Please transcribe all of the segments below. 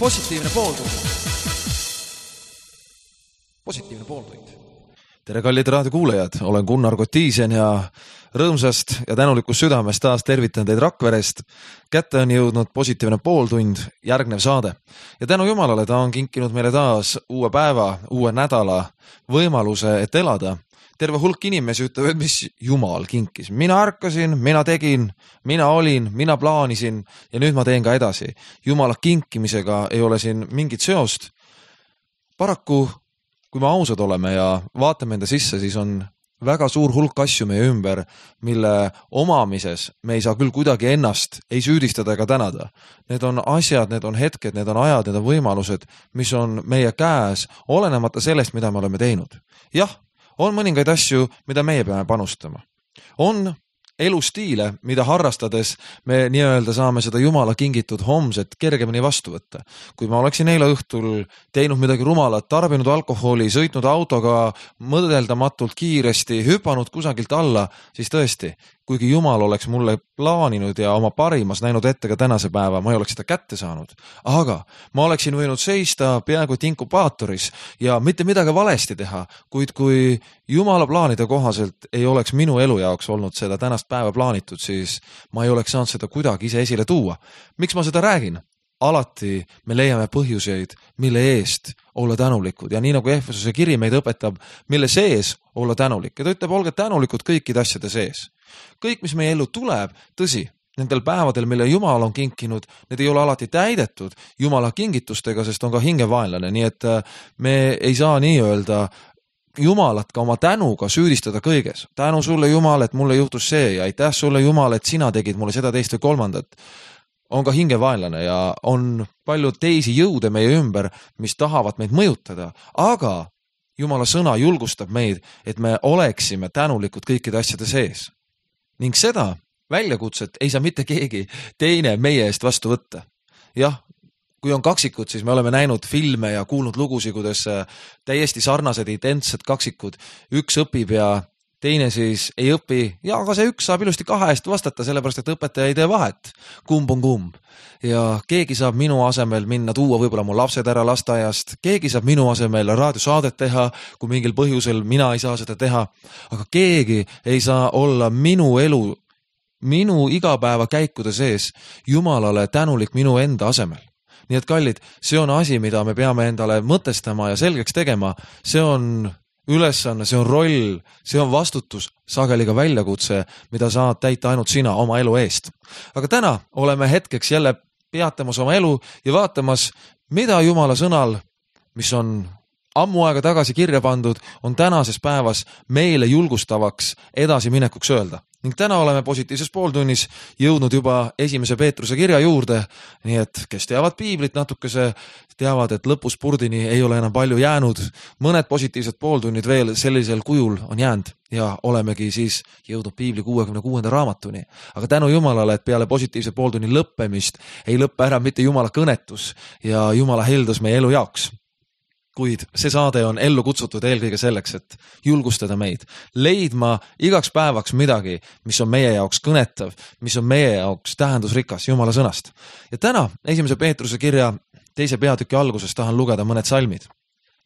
Positiivne pooltund. Positiivne pooltund. Tere kallid raadiokuulajad, olen Gunnar Kotiisen ja rõõmsast ja tänulikust südamest taas tervitan teid Rakverest. Kätte on jõudnud Positiivne pooltund, järgnev saade. Ja tänu Jumalale ta on kinkinud meile taas uue päeva, uue nädala võimaluse, et elada. Terve hulk inimesi ütleb, et mis Jumal kinkis. Mina ärkasin, mina tegin, mina olin, mina plaanisin ja nüüd ma teen ka edasi. Jumala kinkimisega ei ole siin mingit seost. Paraku, kui me ausad oleme ja vaatame enda sisse, siis on väga suur hulk asju meie ümber, mille omamises me ei saa küll kuidagi ennast ei süüdistada ega tänada. Need on asjad, need on hetked, need on ajad, need on võimalused, mis on meie käes, olenemata sellest, mida me oleme teinud. Jah, on mõningaid asju, mida meie peame panustama. On elustiile, mida harrastades me nii-öelda saame seda Jumala kingitud homset kergemini vastu võtta. Kui ma oleksin eile õhtul teinud midagi rumalat, tarbinud alkoholi, sõitnud autoga mõdeldamatult kiiresti, hüpanud kusagilt alla, siis tõesti, kuigi Jumal oleks mulle plaaninud ja oma parimas näinud ette ka tänase päeva, ma ei oleks seda kätte saanud. Aga ma oleksin võinud seista peaaegu inkubaatoris ja mitte midagi valesti teha, kuid kui Jumala plaanide kohaselt ei oleks minu elu jaoks olnud seda tänast päeva plaanitud, siis ma ei oleks saanud seda kuidagi ise esile tuua. Miks ma seda räägin? Alati me leiame põhjuseid, mille eest olla tänulikud ja nii nagu Efesuse kiri meid õpetab, mille sees olla tänulik. Ja ta ütleb, olge tänulikud kõikide asjade sees. Kõik, mis meie ellu tuleb, tõsi, nendel päevadel, mille Jumal on kinkinud, need ei ole alati täidetud Jumala kingitustega, sest on ka hingevaenlane, nii et me ei saa nii öelda Jumalat ka oma tänuga süüdistada kõiges. Tänu sulle Jumal, et mulle juhtus see ja aitäh sulle Jumal, et sina tegid mulle seda, teist või kolmandat. On ka hingevaenlane ja on palju teisi jõude meie ümber, mis tahavad meid mõjutada, aga Jumala sõna julgustab meid, et me oleksime tänulikud kõikide asjade sees. Ning seda väljakutset ei saa mitte keegi teine meie eest vastu võtta. Jah, kui on kaksikud, siis me oleme näinud filme ja kuulnud lugusid, kuidas täiesti sarnased, identsed kaksikud, üks õpib ja teine siis ei õpi, ja aga see üks saab ilusti kahe eest vastata, sellepärast et õpetaja ei tee vahet, kumb on kumb. Ja keegi saab minu asemel minna tuua võib-olla mu lapsed ära lasteaiast, keegi saab minu asemel raadiosaadet teha, kui mingil põhjusel mina ei saa seda teha, aga keegi ei saa olla minu elu, minu igapäeva käikude sees Jumalale tänulik minu enda asemel. Nii et kallid, see on asi, mida me peame endale mõtestama ja selgeks tegema, see on ülesanne, see on roll, see on vastutus, sageli ka väljakutse, mida saad täita ainult sina oma elu eest. Aga täna oleme hetkeks jälle peatamas oma elu ja vaatamas, mida Jumala sõnal, mis on ammu aega tagasi kirja pandud, on tänases päevas meile julgustavaks edasiminekuks öelda. Ning täna oleme positiivses pooltunnis jõudnud juba 1. Peetruse kirja juurde, nii et kes teavad piiblit natukese, teavad, et lõpuspurdini ei ole enam palju jäänud. Mõned positiivsed pooltunnid veel sellisel kujul on jäänud ja olemegi siis jõudnud piibli 66. raamatuni. Aga tänu Jumalale, et peale positiivse pooltunni lõppemist ei lõppe ära mitte Jumala kõnetus ja Jumala heldus meie elu jaoks. Kuid see saade on ellu kutsutud eelkõige selleks, et julgustada meid, leidma igaks päevaks midagi, mis on meie jaoks kõnetav, mis on meie jaoks tähendusrikas Jumala sõnast. Ja täna 1. Peetruse kirja 2. peatüki alguses tahan lugeda mõned salmid.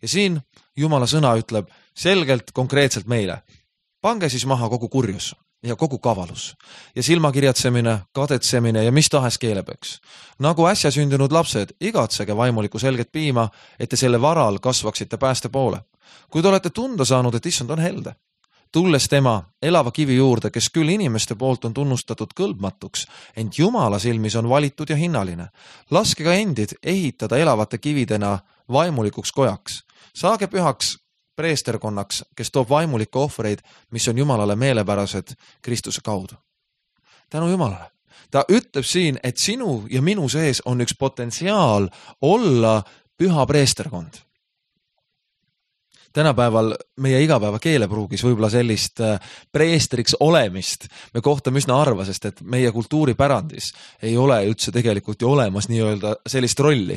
Ja siin Jumala sõna ütleb selgelt, konkreetselt meile, pange siis maha kogu kurjus ja kogu kavalus ja silmakirjatsemine, kadetsemine ja mis tahes keelepöks. Nagu äsja sündinud lapsed, igatsege vaimulikku selget piima, et te selle varal kasvaksite pääste poole. Kui te olete tunda saanud, et issand on helde, tulles tema elava kivi juurde, kes küll inimeste poolt on tunnustatud kõlbmatuks, ent Jumala silmis on valitud ja hinnaline. Laske ka endid ehitada elavate kividena vaimulikuks kojaks. Saage pühaks preesterkonnaks, kes toob vaimulikke ohvreid, mis on Jumalale meelepärased Kristuse kaudu. Tänu Jumalale. Ta ütleb siin, et sinu ja minu sees on üks potentsiaal olla püha preesterkond. Tänapäeval meie igapäeva keelepruugis võib-olla sellist preestriks olemist me kohtame üsna harva, sest et meie kultuuripärandis ei ole üldse tegelikult ju olemas nii-öelda sellist rolli.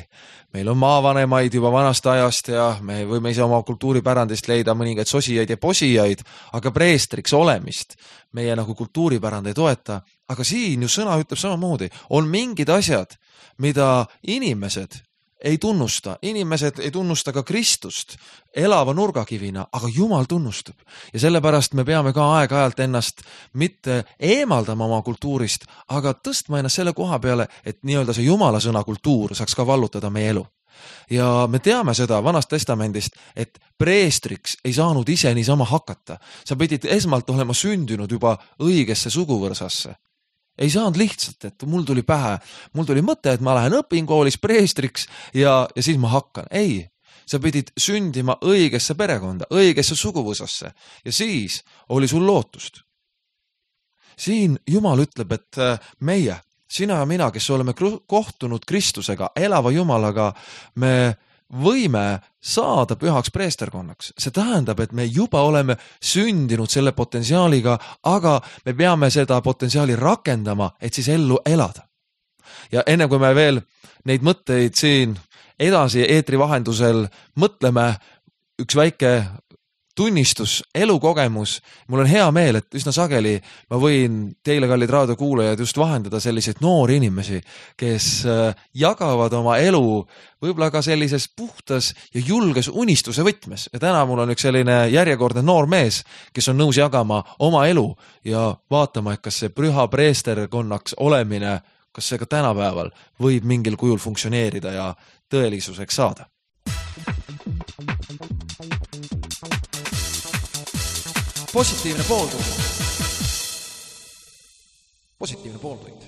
Meil on maavanemaid juba vanast ajast ja me võime ise oma kultuuripärandist leida mõningaid sosijaid ja posijaid, aga preestriks olemist meie nagu kultuuripärand ei toeta. Aga siin ju sõna ütleb samamoodi, on mingid asjad, mida inimesed ei tunnusta, inimesed ei tunnusta ka Kristust elava nurgakivina, aga Jumal tunnustab. Ja sellepärast me peame ka aeg-ajalt ennast mitte eemaldama oma kultuurist, aga tõstma ennast selle koha peale, et nii-öelda see Jumala sõna kultuur saaks ka vallutada meie elu. Ja me teame seda Vanast Testamendist, et preestriks ei saanud ise niisama hakata. Sa pidid esmalt olema sündinud juba õigesse suguvõrsasse. Ei saanud lihtsalt, et mul tuli pähe, mul tuli mõte, et ma lähen õpin koolis preestriks ja siis ma hakkan. Ei, sa pidid sündima õigesse perekonda, õigesse suguvõsasse ja siis oli sul lootust. Siin Jumal ütleb, et meie, sina ja mina, kes oleme kohtunud Kristusega, elava Jumalaga, me võime saada pühaks preesterkonnaks. See tähendab, et me juba oleme sündinud selle potentsiaaliga, aga me peame seda potentsiaali rakendama, et siis ellu elada. Ja enne kui me veel neid mõtteid siin edasi eetri vahendusel mõtleme, üks väike tunnistus, elukogemus. Mul on hea meel, et üsna sageli ma võin teile, kallid raadiokuulajad, just vahendada selliseid noori inimesi, kes jagavad oma elu võib-olla ka sellises puhtas ja julges unistuse võtmes. Ja täna mul on üks selline järjekordne noor mees, kes on nõus jagama oma elu ja vaatama, et kas see püha preesterkonnaks olemine, kas see ka tänapäeval võib mingil kujul funktsioneerida ja tõelisuseks saada. Positiivne pooltund.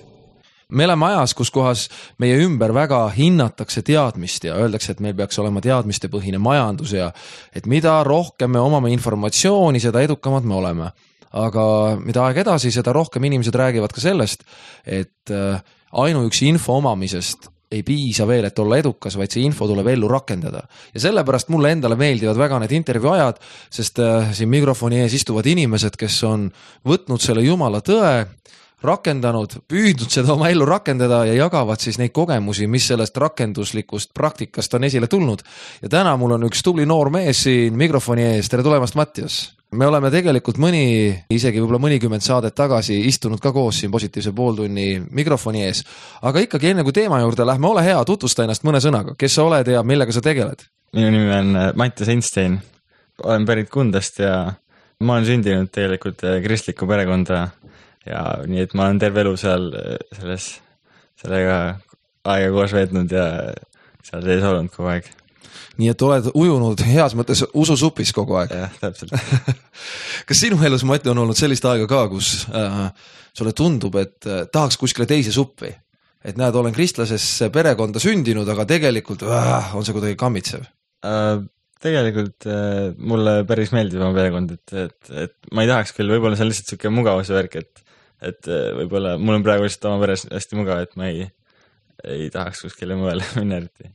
Me oleme ajas, kus kohas meie ümber väga hinnatakse teadmist ja öeldakse, et meil peaks olema teadmistepõhine majandus ja et mida rohkem me omame informatsiooni, seda edukamad me oleme. Aga mida aeg edasi, seda rohkem inimesed räägivad ka sellest, et ainuüksi info omamisest ei piisa veel, et olla edukas, vaid see info tuleb ellu rakendada. Ja sellepärast mulle endale meeldivad väga need intervjuu ajad, sest siin mikrofoni ees istuvad inimesed, kes on võtnud selle Jumala tõe, rakendanud, püüdnud seda oma ellu rakendada ja jagavad siis neid kogemusi, mis sellest rakenduslikust praktikast on esile tulnud. Ja täna mul on üks tubli noor mees siin mikrofoni ees. Tere tulemast, Mattias! Me oleme tegelikult isegi võib-olla mõnikümmend saadet tagasi istunud ka koos siin positiivse pooltunni mikrofoni ees. Aga ikkagi enne kui teema juurde lähme, ole hea, tutvusta ennast mõne sõnaga. Kes sa oled ja millega sa tegeled? Minu nimi on Mattias Einstein. Olen pärit Kundast ja ma olen sündinud tegelikult kristlikku perekonda ja nii, et ma olen terve elu sellega aega koos veetnud ja seal sees olnud kogu aeg. Nii et oled ujunud heas mõttes ususupis kogu aeg. Jah, täpselt. Kas sinu elus, Mati, on olnud sellist aega ka, kus sulle tundub, et tahaks kuskile teise suppi? Et näed, olen kristlasesse perekonda sündinud, aga tegelikult on see kuidagi kammitsev? Tegelikult mulle päris meeldib oma perekond, et ma ei tahaks küll, võib-olla see on lihtsalt selline mugavuse värk, et võib-olla mul on praegu lihtsalt oma peres hästi mugav, et ma ei tahaks kuskile mujale minna eriti.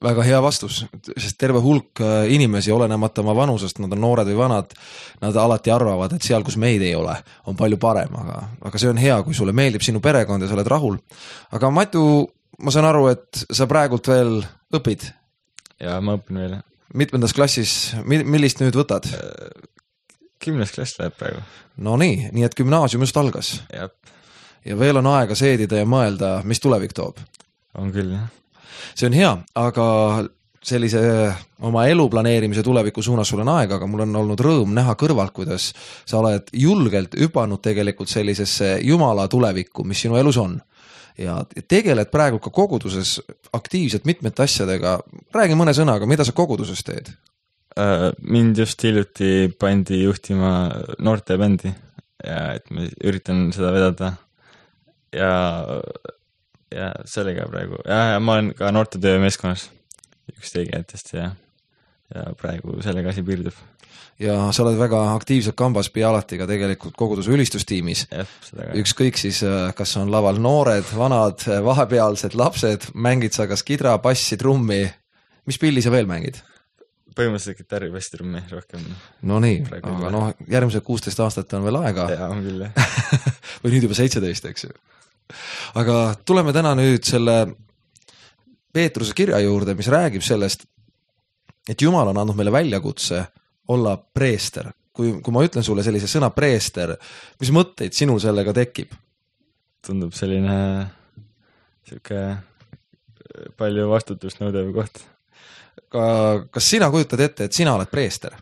Väga hea vastus, sest terve hulk inimesi, olenemata oma vanusest, nad on noored või vanad, nad alati arvavad, et seal, kus meid ei ole, on palju parem, aga see on hea, kui sulle meeldib sinu perekond ja sa oled rahul. Aga Matu, ma saan aru, et sa praegult veel õpid? Ja ma õpin veel. Mitmendas klassis, millist nüüd võtad? 10. klass läheb praegu. No nii et gümnaasium just algas. Jab. Ja veel on aega seedida ja mõelda, mis tulevik toob. On küll, jah. See on hea, aga sellise oma elu planeerimise tuleviku suunas sul on aega, aga mul on olnud rõõm näha kõrvalt, kuidas sa oled julgelt hüpanud tegelikult sellisesse Jumala tulevikku, mis sinu elus on. Ja tegeled praegu ka koguduses aktiivselt mitmete asjadega. Räägi mõne sõnaga, mida sa koguduses teed? Mind just hiljuti pandi juhtima noorte bändi ja et ma üritan seda vedada ja sellega praegu. Ja ma olen ka noortetöö meeskonnas üks tegijatest ja praegu sellega asi piirdub. Ja sa oled väga aktiivselt kambas pea alati ka tegelikult koguduse ülistustiimis. Ükskõik siis, kas on laval noored, vanad, vahepealsed lapsed, mängid sa kas kidra, bassi, trummi. Mis pilli sa veel mängid? Põhimõtteliselt kitarri, bassi, trummi rohkem. No nii, aga järgmised 16 aastat on veel aega. Ja, on küll. Või nüüd juba 17, eks ju. Aga tuleme täna nüüd selle Peetruse kirja juurde, mis räägib sellest, et Jumal on andnud meile väljakutse olla preester. Kui ma ütlen sulle sellise sõna preester, mis mõtteid sinul sellega tekib? Tundub selline palju vastutust nõudev koht. Kas sina kujutad ette, et sina oled preester?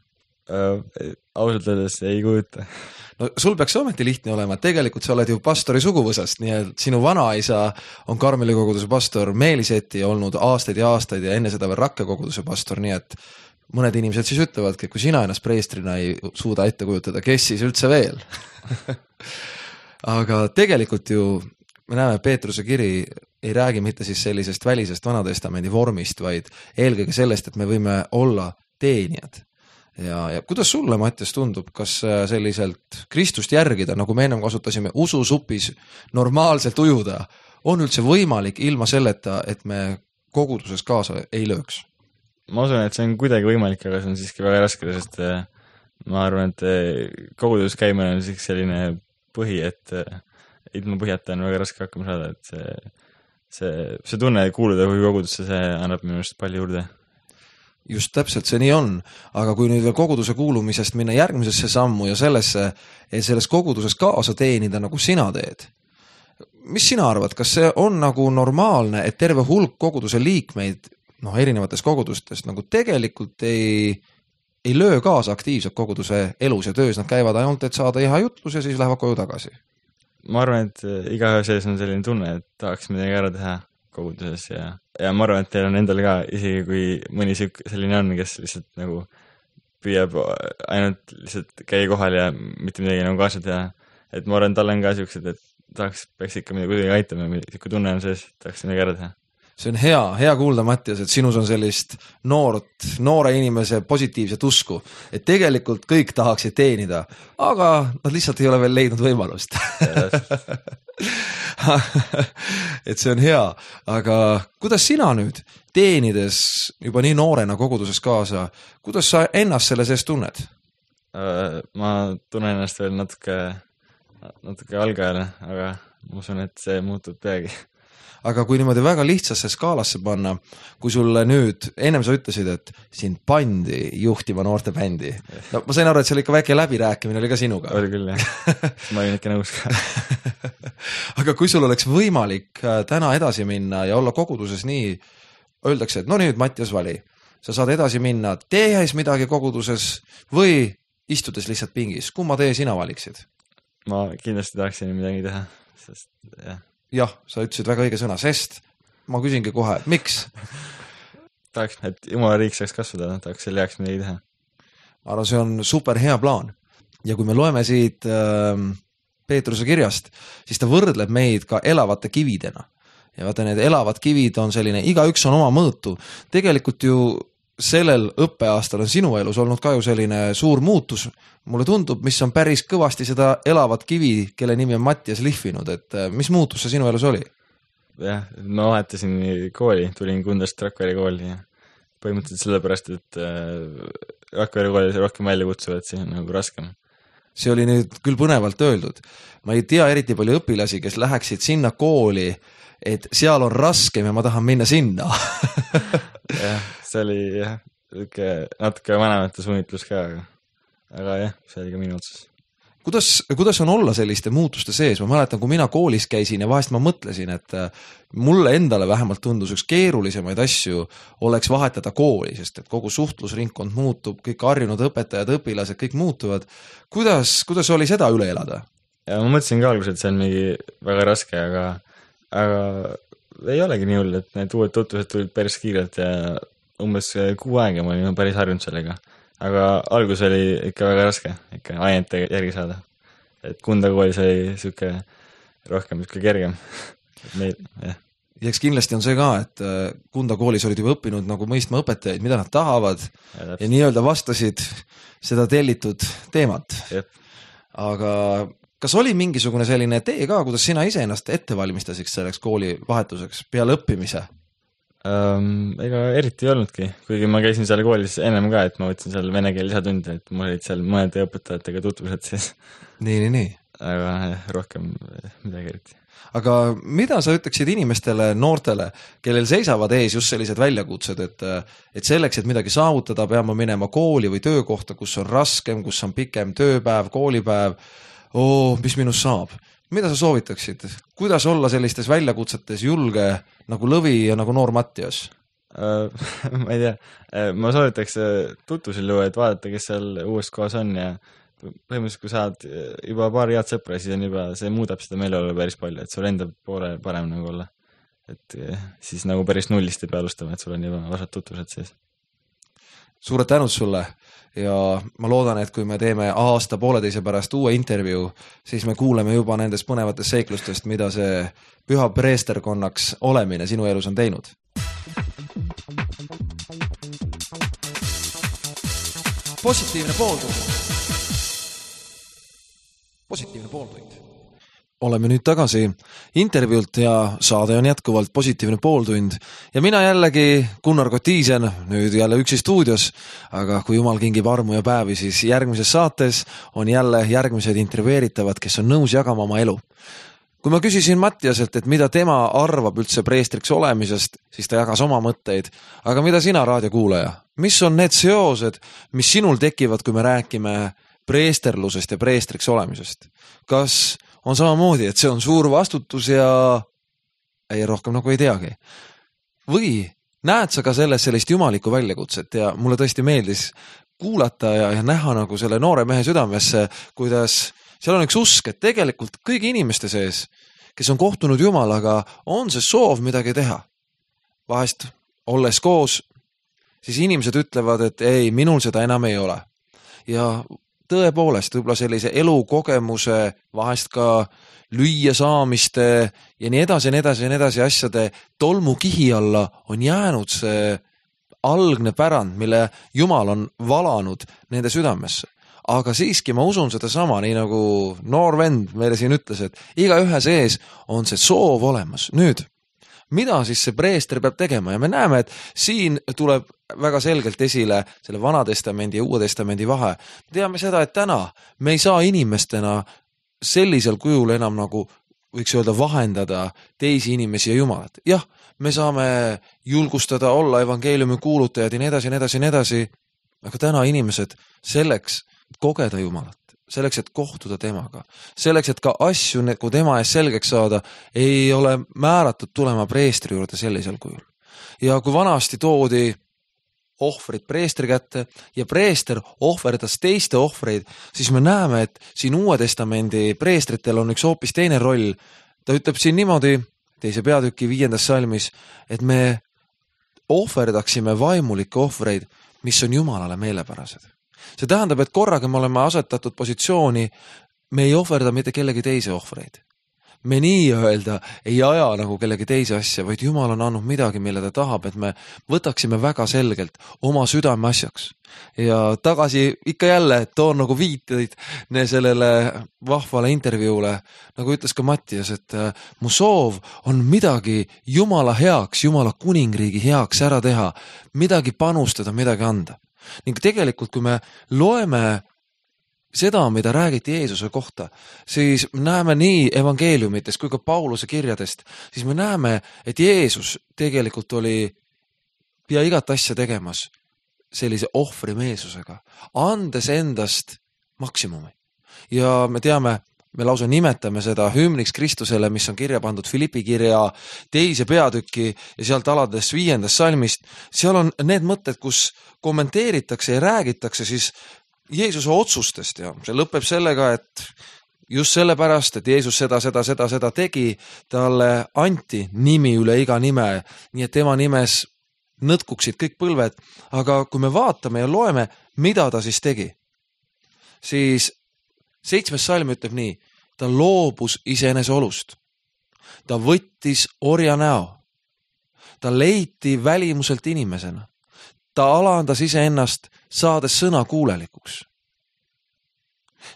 Ausalt öeldes ei kujuta. No sul peaks ometi lihtne olema, et tegelikult sa oled ju pastori suguvõsast, nii et sinu vanaisa on Karmeli koguduse pastor, Meeliseti olnud aastaid ja aastaid ja enne seda veel Rakke koguduse pastor, nii et mõned inimesed siis ütlevadki, et kui sina ennast preestrina ei suuda ette kujutada, kes siis üldse veel? Aga tegelikult ju me näeme, Peetruse kiri ei räägi mitte siis sellisest välisest Vanatestamendi vormist, vaid eelkõige sellest, et me võime olla teenijad. Ja kuidas sulle, Mattias, tundub, kas selliselt Kristust järgida, nagu me ennem kasutasime, ususupis normaalselt ujuda, on üldse võimalik ilma selleta, et me koguduses kaasa ei lööks? Ma usun, et see on kuidagi võimalik, aga see on siiski väga raske, sest ma arvan, et koguduses käimine on siiski selline põhi, et ilma põhjata on väga raske hakkama saada, et see tunne kuuluda kui kogudusse, see annab minu arust palju juurde. Just täpselt see nii on, aga kui nüüd veel koguduse kuulumisest minna järgmisesse sammu ja selles koguduses kaasa teenida, nagu sina teed, mis sina arvad, kas see on nagu normaalne, et terve hulk koguduse liikmeid erinevatest kogudustest nagu tegelikult ei löö kaasa aktiivselt koguduse elus ja töös, nad käivad ainult, et saada hea jutlus ja siis lähevad koju tagasi? Ma arvan, et igaühe sees on selline tunne, et tahaks midagi ära teha koguduses ja ma arvan, et teil on endal ka, isegi kui mõni selline on, kes lihtsalt nagu püüab ainult lihtsalt käia kohal ja mitte midagi nagu kaasa teha, et ma arvan, tal on ka siuksed, et peaks ikka midagi aitama, kui tunne on sees, tahaks midagi ära teha. See on hea kuulda, Mattias, et sinus on sellist noore inimese positiivset usku, et tegelikult kõik tahaksid teenida, aga nad lihtsalt ei ole veel leidnud võimalust. Et see on hea, aga kuidas sina nüüd teenides juba nii noorena koguduses kaasa, kuidas sa ennast selle sees tunned? Ma tunnen ennast veel natuke algajale, aga ma usun, et see muutub peagi. Aga kui niimoodi väga lihtsasse skaalasse panna, kui sulle nüüd, ennem sa ütlesid, et sind pandi juhtima noorte bändi. No, ma sain aru, et seal ikka väike läbirääkimine oli ka sinuga. Oli küll, jah. Ma olin ikka nõus ka. Aga kui sul oleks võimalik täna edasi minna ja olla koguduses nii, öeldakse, et no nüüd Mattias vali, sa saad edasi minna tehes midagi koguduses või istudes lihtsalt pingis. Kumma tee sina valiksid? Ma kindlasti tahaksin midagi teha, sest jah. Jah, sa ütlesid väga õige sõna, sest ma küsingi kohe, miks? Tahaks, et Jumala riik saaks kasvada, tahaks selle heaks midagi teha. Ma arvan, see on super hea plaan. Ja kui me loeme siit Peetruse kirjast, siis ta võrdleb meid ka elavate kividena. Ja vaata, need elavad kivid on selline, igaüks on oma mõõtu. Tegelikult ju sellel õppeaastal on sinu elus olnud ka ju selline suur muutus. Mulle tundub, mis on päris kõvasti seda elavat kivi, kelle nimi on Mattias lihvinud, et mis muutus see sinu elus oli? Jah, ma vahetasin kooli, tulin Kundast Rakvere kooli ja põhimõtteliselt sellepärast, et Rakvere kooli rohkem välja kutsuvad, see on nagu raskem. See oli nüüd küll põnevalt öeldud. Ma ei tea eriti palju õpilasi, kes läheksid sinna kooli, et seal on raskem ja ma tahan minna sinna. Jah, see oli natuke vanemate suunitlus ka, aga jah, see oli ka minu otsus. Kuidas on olla selliste muutuste sees? Ma mäletan, kui mina koolis käisin ja vahest ma mõtlesin, et mulle endale vähemalt tundus üks keerulisemaid asju oleks vahetada kooli, sest et kogu suhtlusringkond muutub, kõik harjunud õpetajad, õpilased, kõik muutuvad. Kuidas oli seda üle elada? Ja ma mõtlesin ka alguses, et see on mingi väga raske, aga ei olegi nii hull, et need uued tutvused tulid päris kiirelt ja umbes 6 aega ma olin päris harjunud sellega. Aga algus oli ikka väga raske, ikka ainete järgi saada. Et Kunda koolis oli siuke rohkem kergem. Ja eks kindlasti on see ka, et Kunda koolis olid juba õppinud nagu mõistma õpetajaid, mida nad tahavad ja nii-öelda vastasid seda tellitud teemat. Jep. Aga kas oli mingisugune selline tee ka, kuidas sina ise ennast ette valmistasiks selleks kooli vahetuseks peale õppimise? Ega eriti ei olnudki, kuigi ma käisin seal koolis ennem ka, et ma võtsin seal vene keel lisatunde, et mul olid seal mõnede õpetajatega tutvused siis. Nii. Aga rohkem midagi eriti. Aga mida sa ütleksid inimestele, noortele, kellel seisavad ees just sellised väljakutsed, et selleks, et midagi saavutada, peame minema kooli või töökohta, kus on raskem, kus on pikem tööpäev, koolipäev, mis minust saab? mida sa soovitaksid, kuidas olla sellistes väljakutsetes julge nagu Lõvi ja nagu noor Mattias? Ma ei tea, ma soovitaks tutvusel luua, et vaadata, kes seal uues kohas on ja põhimõtteliselt, kui saad juba paar head sõpra, siis on juba, see muudab seda meeleolu päris palju, et sul enda poole parem nagu olla. Et siis nagu päris nullist ei pea alustama, et sul on juba vasad tutvused sees. Suured tänud sulle ja ma loodan, et kui me teeme aasta-pooleteise pärast uue intervjuu, siis me kuuleme juba nendest põnevatest seiklustest, mida see püha preesterkonnaks olemine sinu elus on teinud. Positiivne pooltund. Oleme nüüd tagasi intervjuult ja saade on jätkuvalt Positiivne pooltund ja mina jällegi Gunnar Kotiisen, nüüd jälle üksi stuudios, aga kui jumal kingib armu ja päevi, siis järgmises saates on jälle järgmised intervjueeritavad, kes on nõus jagama oma elu. Kui ma küsisin Mattiaselt, et mida tema arvab üldse preestriks olemisest, siis ta jagas oma mõtteid. Aga mida sina, raadiokuulaja? Mis on need seosed, mis sinul tekivad, kui me räägime preesterlusest ja preestriks olemisest? Kas on samamoodi, et see on suur vastutus ja ei rohkem nagu ei teagi? Või näed sa ka selles sellist jumalikku väljakutset ja mulle tõesti meeldis kuulata ja näha nagu selle noore mehe südamesse, kuidas seal on üks usk, et tegelikult kõigi inimeste sees, kes on kohtunud Jumalaga, on see soov midagi teha. Vahest olles koos, siis inimesed ütlevad, et ei, minul seda enam ei ole. Ja tõepoolest, võib-olla sellise elukogemuse, vahest ka lüüa saamiste ja nii edasi asjade tolmu kihi alla on jäänud see algne pärand, mille Jumal on valanud nende südamesse. Aga siiski ma usun seda sama, nii nagu noor vend meile siin ütles, et iga ühe sees on see soov olemas. Nüüd, mida siis see preester peab tegema? Ja me näeme, et siin tuleb väga selgelt esile selle Vana Testamendi ja Uue Testamendi vahe. Teame seda, et täna me ei saa inimestena sellisel kujul enam nagu võiks öelda vahendada teisi inimesi ja Jumalat. Jah, me saame julgustada, olla evangeeliumi kuulutajad ja nii edasi, aga täna inimesed selleks kogeda Jumalat, selleks, et kohtuda temaga, selleks, et ka asju, kui tema ees selgeks saada, ei ole määratud tulema preestri juurde sellisel kujul. Ja kui vanasti toodi ohvrid preestri kätte ja preester ohverdas teiste ohvreid, siis me näeme, et siin Uue Testamendi preestritel on üks hoopis teine roll. Ta ütleb siin niimoodi, 2. peatüki 5. salmis, et me ohverdaksime vaimulikke ohvreid, mis on Jumalale meelepärased. See tähendab, et korraga me oleme asetatud positsiooni, me ei ohverda mitte kellegi teise ohvreid. Me nii-öelda ei aja nagu kellegi teise asja, vaid Jumal on andnud midagi, mille ta tahab, et me võtaksime väga selgelt oma südame asjaks. Ja tagasi ikka jälle toon nagu viiteid sellele vahvale intervjuule, nagu ütles ka Mattias, et mu soov on midagi Jumala heaks, Jumala kuningriigi heaks ära teha, midagi panustada, midagi anda. Ning tegelikult, kui me loeme seda, mida räägiti Jeesuse kohta, siis näeme nii evangeeliumitest kui ka Pauluse kirjadest, siis me näeme, et Jeesus tegelikult oli pea igat asja tegemas sellise ohvrimeelsusega, andes endast maksimumi. Ja me teame, me lausa nimetame seda hümniks Kristusele, mis on kirja pandud Filipi kirja 2. peatüki ja sealt alades 5. salmist. Seal on need mõtted, kus kommenteeritakse ja räägitakse siis Jeesuse otsustest ja see lõpeb sellega, et just sellepärast, et Jeesus seda tegi, talle anti nimi üle iga nime, nii et tema nimes nõtkuksid kõik põlved, aga kui me vaatame ja loeme, mida ta siis tegi, siis 7. salm ütleb nii, ta loobus iseenese olust, ta võttis orja näo, ta leiti välimuselt inimesena, ta alandas iseennast, saades sõna kuulelikuks.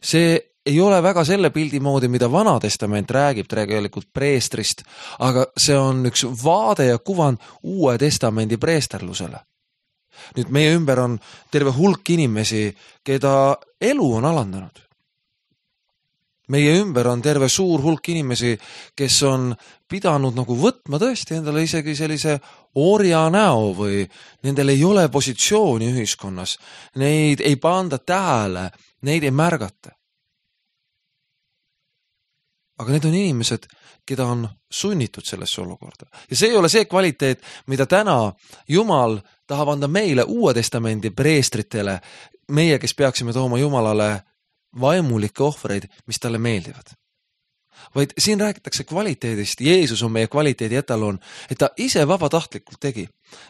See ei ole väga selle pildi moodi, mida Vana Testament räägib tegelikult preestrist, aga see on üks vaade ja kuvand Uue Testamendi preesterlusele. Nüüd meie ümber on terve hulk inimesi, keda elu on alandanud. Meie ümber on terve suur hulk inimesi, kes on pidanud nagu võtma tõesti endale isegi sellise orja näo või nendel ei ole positsiooni ühiskonnas. Neid ei panda tähele, neid ei märgata. aga need on inimesed, keda on sunnitud sellesse olukorda. Ja see ei ole see kvaliteet, mida täna Jumal tahab anda meile Uue Testamendi preestritele, meie, kes peaksime tooma Jumalale vaimulikke ohvreid, mis talle meeldivad. Vaid siin räägitakse kvaliteedist, Jeesus on meie kvaliteedi etalon, et ta ise vabatahtlikult tegi.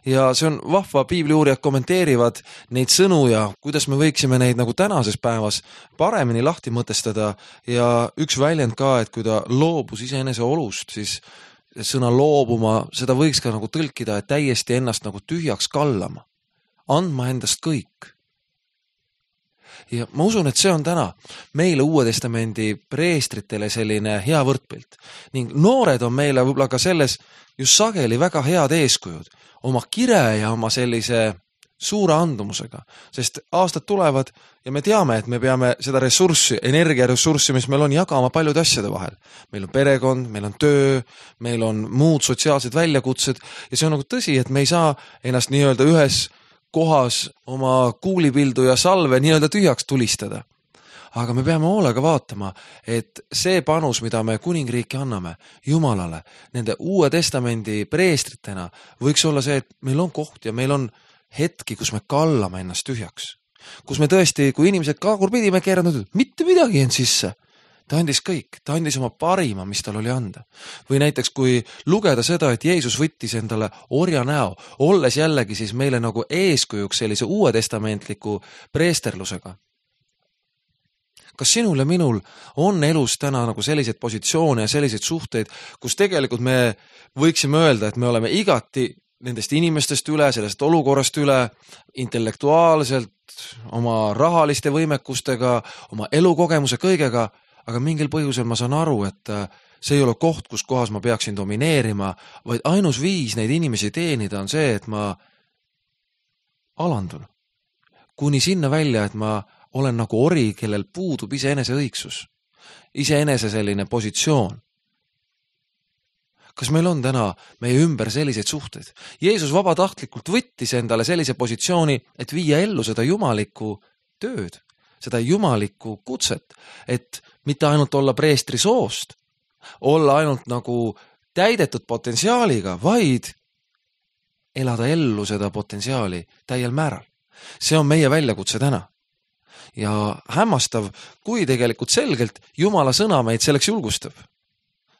Ja see on vahva, piibliuurijad kommenteerivad neid sõnu ja kuidas me võiksime neid nagu tänases päevas paremini lahti mõtestada ja üks väljend ka, et kui ta loobus iseenese olust, siis sõna loobuma, seda võiks ka nagu tõlkida, et täiesti ennast nagu tühjaks kallama, andma endast kõik. Ja ma usun, et see on täna meile Uue Testamendi preestritele selline hea võrdpilt. Ning noored on meile võib-olla ka selles just sageli väga head eeskujud oma kire ja oma sellise suure andumusega. Sest aastad tulevad ja me teame, et me peame seda ressurssi, energiaressurssi, mis meil on, jagama paljude asjade vahel. Meil on perekond, meil on töö, meil on muud sotsiaalsed väljakutsed ja see on nagu tõsi, et me ei saa ennast nii-öelda ühes kohas oma kuulipildu ja salve nii-öelda tühjaks tulistada. Aga me peame hoolega vaatama, et see panus, mida me kuningriiki anname Jumalale, nende Uue Testamendi preestritena, võiks olla see, et meil on koht ja meil on hetki, kus me kallame ennast tühjaks. Kus me tõesti, kui inimesed kaagurpidi me keeranud, mitte midagi end sisse. Ta andis kõik, ta andis oma parima, mis tal oli anda. Või näiteks, kui lugeda seda, et Jeesus võttis endale orja näo, olles jällegi siis meile nagu eeskujuks sellise Uue Testamentliku preesterlusega. Kas sinul ja minul on elus täna nagu selliseid positsioone ja selliseid suhteid, kus tegelikult me võiksime öelda, et me oleme igati nendest inimestest üle, sellest olukorrast üle, intellektuaalselt, oma rahaliste võimekustega, oma elukogemuse kõigega, aga mingil põhjusel ma saan aru, et see ei ole koht, kus kohas ma peaksin domineerima, vaid ainus viis neid inimesi teenida on see, et ma alandun. Kuni sinna välja, et ma olen nagu ori, kellel puudub iseenese õigsus, iseenese selline positsioon. Kas meil on täna meie ümber selliseid suhteid? Jeesus vabatahtlikult võttis endale sellise positsiooni, et viia ellu seda jumalikku tööd, seda jumalikku kutset, et mitte ainult olla preestri soost, olla ainult nagu täidetud potentsiaaliga, vaid elada ellu seda potentsiaali täiel määral. See on meie väljakutse täna. Ja hämmastav, kui tegelikult selgelt Jumala sõna meid selleks julgustab.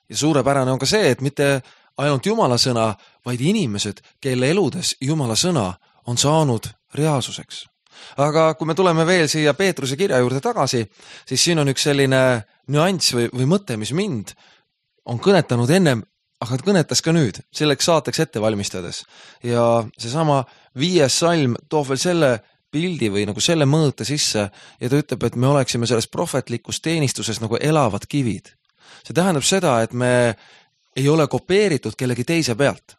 Ja suurepärane on ka see, et mitte ainult Jumala sõna, vaid inimesed, kelle eludes Jumala sõna on saanud reaalsuseks. Aga kui me tuleme veel siia Peetruse kirja juurde tagasi, siis siin on üks selline nüanss või mõte, mis mind on kõnetanud ennem, aga kõnetas ka nüüd, selleks saateks ette valmistades. Ja seesama 5. salm toob veel selle pildi või nagu selle mõõte sisse ja ta ütleb, et me oleksime selles prohvetlikus teenistuses nagu elavad kivid. See tähendab seda, et me ei ole kopeeritud kellegi teise pealt.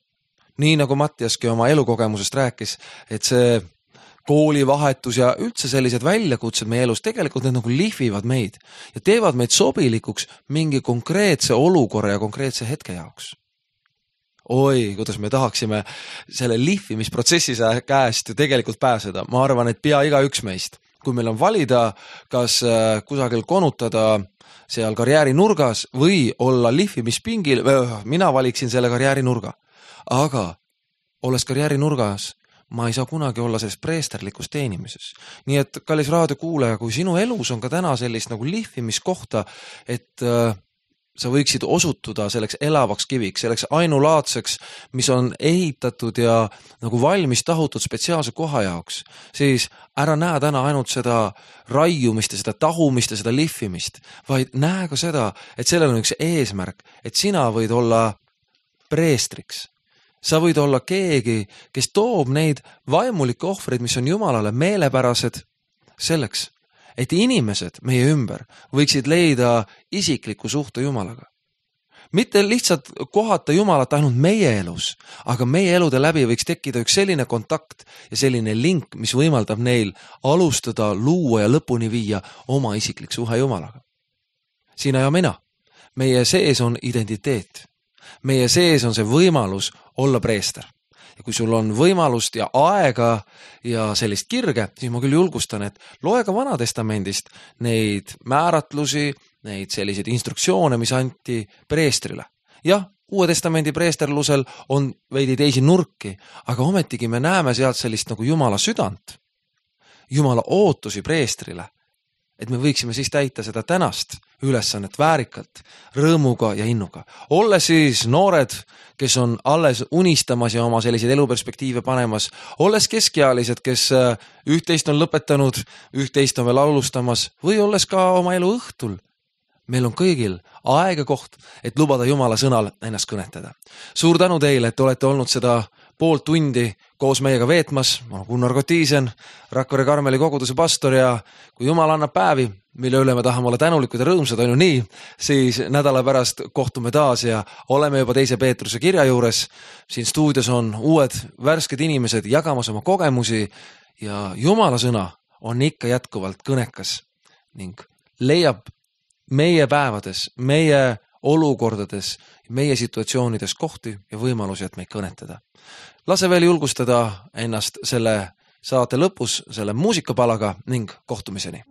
Nii nagu Mattiaski oma elukogemusest rääkis, et see koolivahetus ja üldse sellised väljakutsed meie elus, tegelikult need nagu lihvivad meid ja teevad meid sobilikuks mingi konkreetse olukorra ja konkreetse hetke jaoks. Oi, kuidas me tahaksime selle lihvimisprotsessi käest ju tegelikult pääseda. Ma arvan, et pea igaüks meist. Kui meil on valida, kas kusagil konutada seal karjääri nurgas või olla lihvimispingil, mina valiksin selle karjääri nurga. Aga olles karjääri nurgas, ma ei saa kunagi olla selles preesterlikus teenimises. Nii et, kallis raadiokuulaja, kui sinu elus on ka täna sellist nagu lihvimiskohta, et sa võiksid osutuda selleks elavaks kiviks, selleks ainulaadseks, mis on ehitatud ja nagu valmis tahutud spetsiaalse koha jaoks, siis ära näe täna ainult seda raiumist ja seda tahumist ja seda lihvimist, vaid näe ka seda, et sellel on üks eesmärk, et sina võid olla preestriks. Sa võid olla keegi, kes toob neid vaimulikke ohvreid, mis on Jumalale meelepärased selleks, et inimesed meie ümber võiksid leida isikliku suhte Jumalaga. Mitte lihtsalt kohata Jumalat ainult meie elus, aga meie elude läbi võiks tekkida üks selline kontakt ja selline link, mis võimaldab neil alustada, luua ja lõpuni viia oma isiklik suhe Jumalaga. Sina ja mina, meie sees on identiteet. Meie sees on see võimalus olla preester. Ja kui sul on võimalust ja aega ja sellist kirge, siis ma küll julgustan, et loe ka Vanatestamendist neid määratlusi, neid selliseid instruktsioone, mis anti preestrile. Jah, Uue Testamendi preesterlusel on veidi teisi nurki, aga ometigi me näeme sealt sellist nagu Jumala südant, Jumala ootusi preestrile, et me võiksime siis täita seda tänast ülesannet väärikalt, rõõmuga ja innuga. Olles siis noored, kes on alles unistamas ja oma selliseid eluperspektiive panemas, olles keskealised, kes üht-teist on lõpetanud, üht-teist on veel alustamas või olles ka oma elu õhtul, meil on kõigil aeg ja koht, et lubada Jumala sõnal ennast kõnetada. Suur tänu teile, et olete olnud seda pool tundi koos meiega veetmas. Ma olen Gunnar Kotiisen, Rakvere Karmeli koguduse pastor ja kui Jumal annab päevi, mille üle me tahame olla tänulikud ja rõõmsad, on ju nii, siis nädala pärast kohtume taas ja oleme juba 2. Peetruse kirja juures. Siin stuudios on uued värsked inimesed jagamas oma kogemusi ja Jumala sõna on ikka jätkuvalt kõnekas ning leiab meie päevades, meie olukordades, meie situatsioonides kohti ja võimalusi, et meid kõnetada. Lase veel julgustada ennast selle saate lõpus selle muusikapalaga ning kohtumiseni.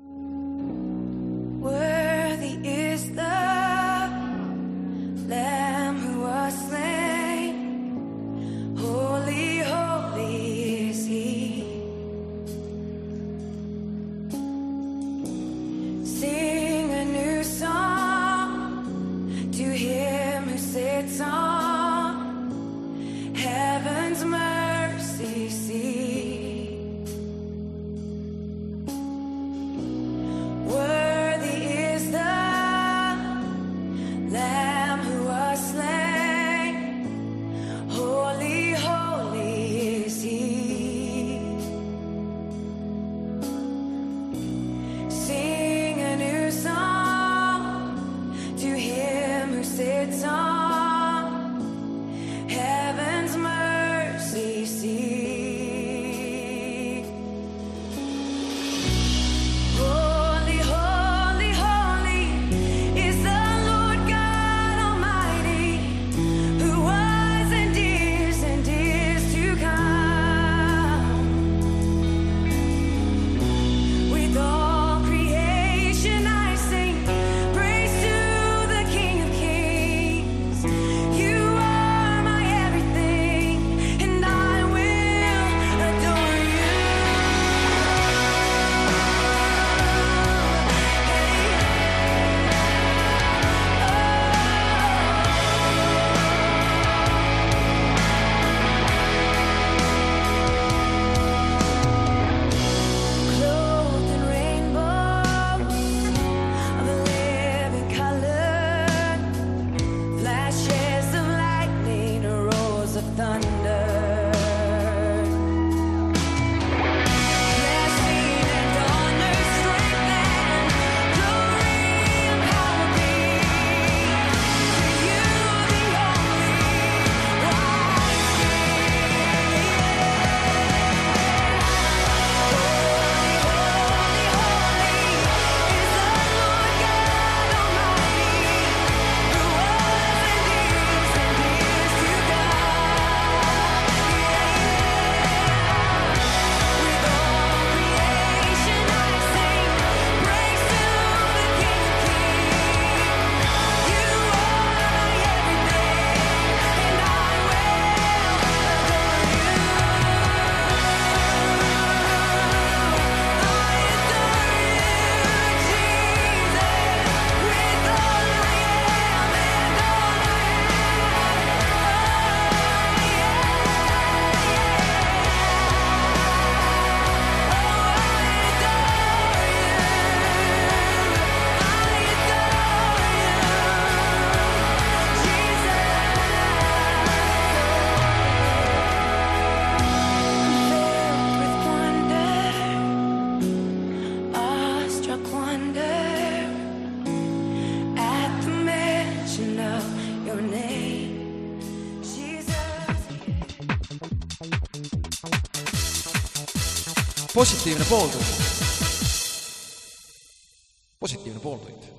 Positiivne pooltund.